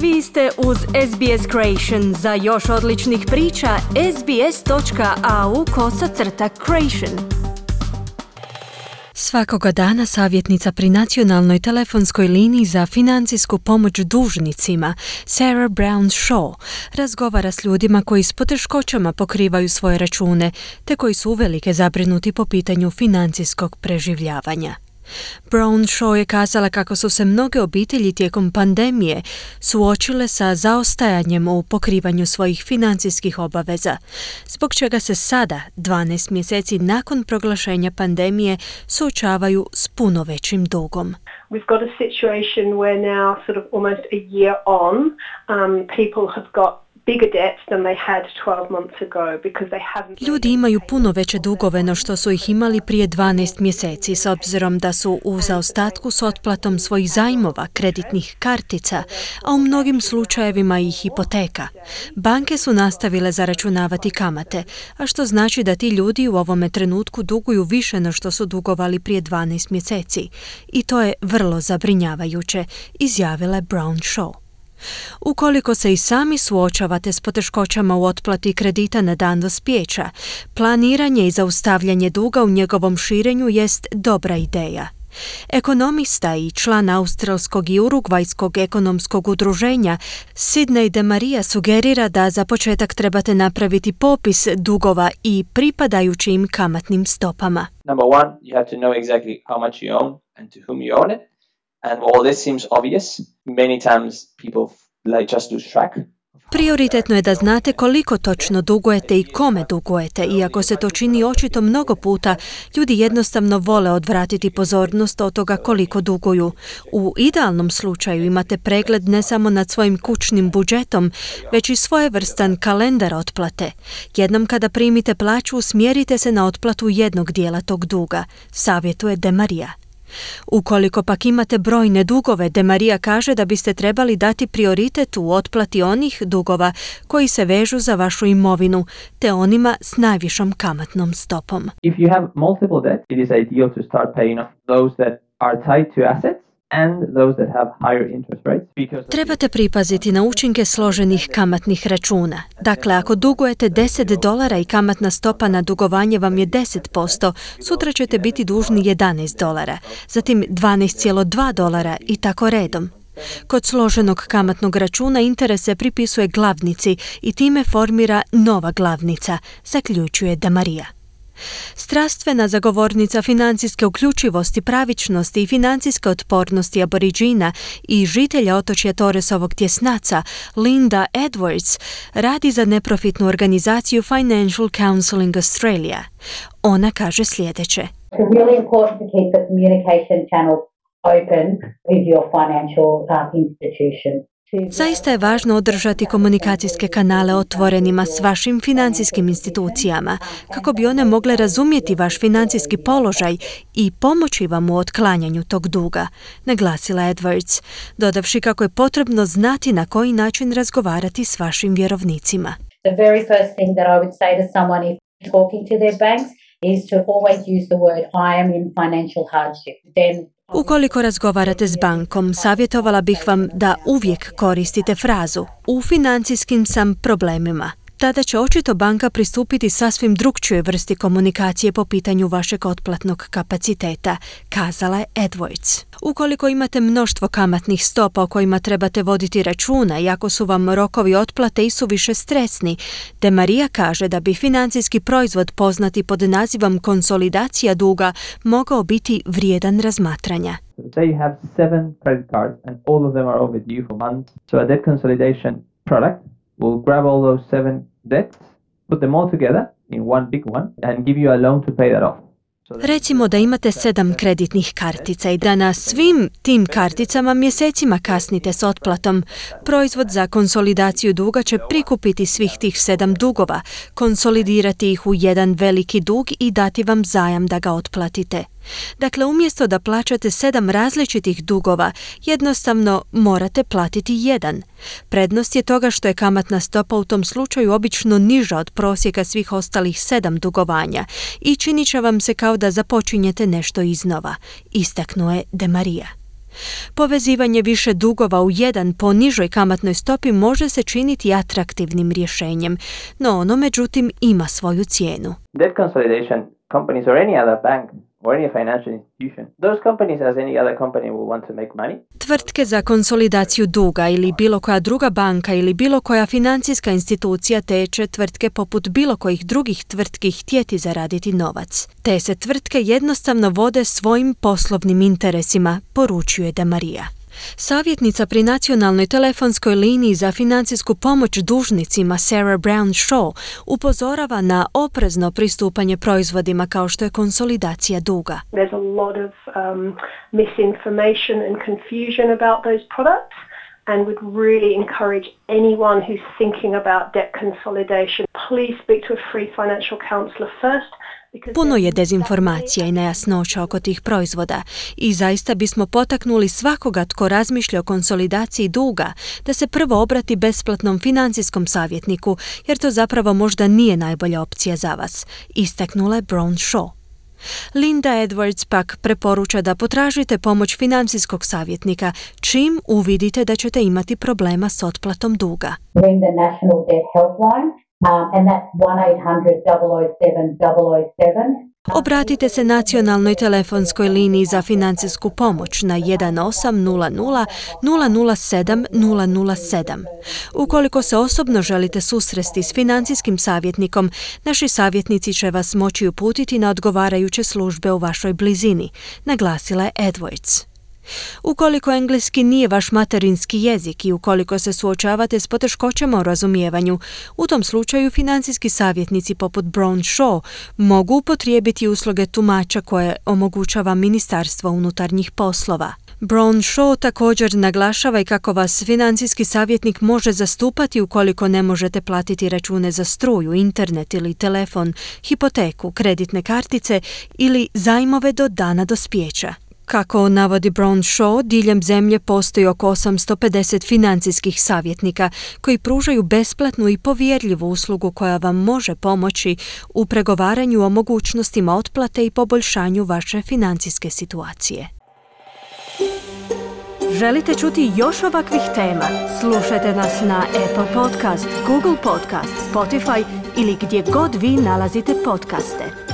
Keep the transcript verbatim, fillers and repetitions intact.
Vi ste uz S B S Creation. Za još odličnih priča, sbs.au kosacrta creation. Svakoga dana savjetnica pri nacionalnoj telefonskoj liniji za financijsku pomoć dužnicima, Sarah Brown Shaw, razgovara s ljudima koji s poteškoćama pokrivaju svoje račune, te koji su uvelike zabrinuti po pitanju financijskog preživljavanja. Brown Shaw je kazala kako su se mnoge obitelji tijekom pandemije suočile sa zaostajanjem u pokrivanju svojih financijskih obaveza, zbog čega se sada, dvanaest mjeseci nakon proglašenja pandemije, suočavaju s puno većim dugom. We've got a situation where now, sort of almost a year on, um, people have got bigger debts than they had twelve months ago because they haven't... Ljudi imaju puno veće dugove no što su ih imali prije dvanaest mjeseci, s obzirom da su u zaostatku s otplatom svojih zajmova, kreditnih kartica, a u mnogim slučajevima i hipoteka. Banke su nastavile zaračunavati kamate, a što znači da ti ljudi u ovome trenutku duguju više no što su dugovali prije dvanaest mjeseci. I to je vrlo zabrinjavajuće, izjavila je Brown Shaw. Ukoliko se i sami suočavate s poteškoćama u otplati kredita na dan dospijeća, planiranje i zaustavljanje duga u njegovom širenju jest dobra ideja. Ekonomista i član australskog i urugvajskog ekonomskog udruženja Sidney DeMaria sugerira da za početak trebate napraviti popis dugova i pripadajućim im kamatnim stopama. Number one, you have to know exactly how much you own and to whom you own it. And while this seems obvious, many times people like just lose track. Prioritetno je da znate koliko točno dugujete i kome dugujete, iako se to čini očito mnogo puta, ljudi jednostavno vole odvratiti pozornost od toga koliko duguju. U idealnom slučaju imate pregled ne samo nad svojim kućnim budžetom, već i svojevrstan kalendar otplate. Jednom kada primite plaću, usmjerite se na otplatu jednog dijela tog duga, savjetuje DeMaria. Ukoliko pak imate brojne dugove, DeMaria kaže da biste trebali dati prioritet u otplati onih dugova koji se vežu za vašu imovinu, te onima s najvišom kamatnom stopom. If you have multiple debts, it is ideal to start paying off those that are tied to assets and those that have higher interest rates. Because Trebate pripaziti na učinke složenih kamatnih računa. Dakle, ako dugujete deset dolara i kamatna stopa na dugovanje vam je deset posto, sutra ćete biti dužni jedanaest dolara, zatim dvanaest zarez dva dolara i tako redom. Kod složenog kamatnog računa interes se pripisuje glavnici i time formira nova glavnica, zaključuje DeMaria. Strastvena zagovornica financijske uključivosti, pravičnosti i financijske otpornosti Aboriđina i žitelja otočja Torresovog tjesnaca, Linda Edwards, radi za neprofitnu organizaciju Financial Counselling Australia. Ona kaže sljedeće. It's really important to keep the communication channels open with your financial uh, institution. Zaista je važno održati komunikacijske kanale otvorenima s vašim financijskim institucijama, kako bi one mogle razumjeti vaš financijski položaj i pomoći vam u otklanjanju tog duga, naglasila Edwards, dodavši kako je potrebno znati na koji način razgovarati s vašim vjerovnicima. The very first thing that I would say to someone if talking to their banks is to always use the word I am in financial hardship. Then Ukoliko razgovarate s bankom, savjetovala bih vam da uvijek koristite frazu u financijskim sam problemima. Tada će očito banka pristupiti sasvim drukčijoj vrsti komunikacije po pitanju vašeg otplatnog kapaciteta, kazala je Edwards. Ukoliko imate mnoštvo kamatnih stopa o kojima trebate voditi računa i ako su vam rokovi otplate i suviše stresni, DeMaria kaže da bi financijski proizvod poznati pod nazivom konsolidacija duga mogao biti vrijedan razmatranja. Say you have seven credit cards and all of them are overdue for months. So a debt consolidation product will grab all those seven debts, put them all together in one big one and give you a loan to pay that off. Recimo da imate sedam kreditnih kartica i da na svim tim karticama mjesecima kasnite s otplatom. Proizvod za konsolidaciju duga će prikupiti svih tih sedam dugova, konsolidirati ih u jedan veliki dug i dati vam zajam da ga otplatite. Dakle, umjesto da plaćate sedam različitih dugova, jednostavno morate platiti jedan. Prednost je toga što je kamatna stopa u tom slučaju obično niža od prosjeka svih ostalih sedam dugovanja i činit će vam se kao da započinjete nešto iznova, istaknuo je DeMaria. Povezivanje više dugova u jedan po nižoj kamatnoj stopi može se činiti atraktivnim rješenjem, no ono međutim ima svoju cijenu. Debt consolidation companies or any other bank or any financial institution, those companies as any other company will want to make money. Tvrtke za konsolidaciju duga ili bilo koja druga banka ili bilo koja financijska institucija te će tvrtke poput bilo kojih drugih tvrtki htjeti zaraditi novac. Te se tvrtke jednostavno vode svojim poslovnim interesima, poručuje De Maria. Savjetnica pri nacionalnoj telefonskoj liniji za financijsku pomoć dužnicima Sarah Brown Shaw upozorava na oprezno pristupanje proizvodima kao što je konsolidacija duga. There's a lot of um, misinformation and confusion about those products. And would really encourage anyone who's thinking about debt consolidation, please speak to a free financial counselor first. Puno je dezinformacija i nejasnoća oko tih proizvoda i zaista bismo potaknuli svakoga tko razmišlja o konsolidaciji duga da se prvo obrati besplatnom financijskom savjetniku, jer to zapravo možda nije najbolja opcija za vas, istaknula je Brown Shaw. Linda Edwards pak preporuča da potražite pomoć financijskog savjetnika čim uvidite da ćete imati problema s otplatom duga. Ring the National Debt Helpline, um, and that's one eight hundred double oh seven double oh seven. Obratite se nacionalnoj telefonskoj liniji za financijsku pomoć na jedan osam nula nula nula nula sedam nula nula sedam. Ukoliko se osobno želite susresti s financijskim savjetnikom, naši savjetnici će vas moći uputiti na odgovarajuće službe u vašoj blizini, naglasila je Edwards. Ukoliko engleski nije vaš materinski jezik i ukoliko se suočavate s poteškoćama u razumijevanju, u tom slučaju financijski savjetnici poput Brown Shaw mogu upotrijebiti usluge tumača koje omogućava Ministarstvo unutarnjih poslova. Brown Shaw također naglašava i kako vas financijski savjetnik može zastupati ukoliko ne možete platiti račune za struju, internet ili telefon, hipoteku, kreditne kartice ili zajmove do dana dospijeća. Kako navodi Brown Shaw, diljem zemlje postoji oko osamsto pedeset financijskih savjetnika koji pružaju besplatnu i povjerljivu uslugu koja vam može pomoći u pregovaranju o mogućnostima otplate i poboljšanju vaše financijske situacije. Želite čuti još ovakvih tema? Slušajte nas na Apple Podcast, Google Podcast, Spotify ili gdje god vi nalazite podcaste.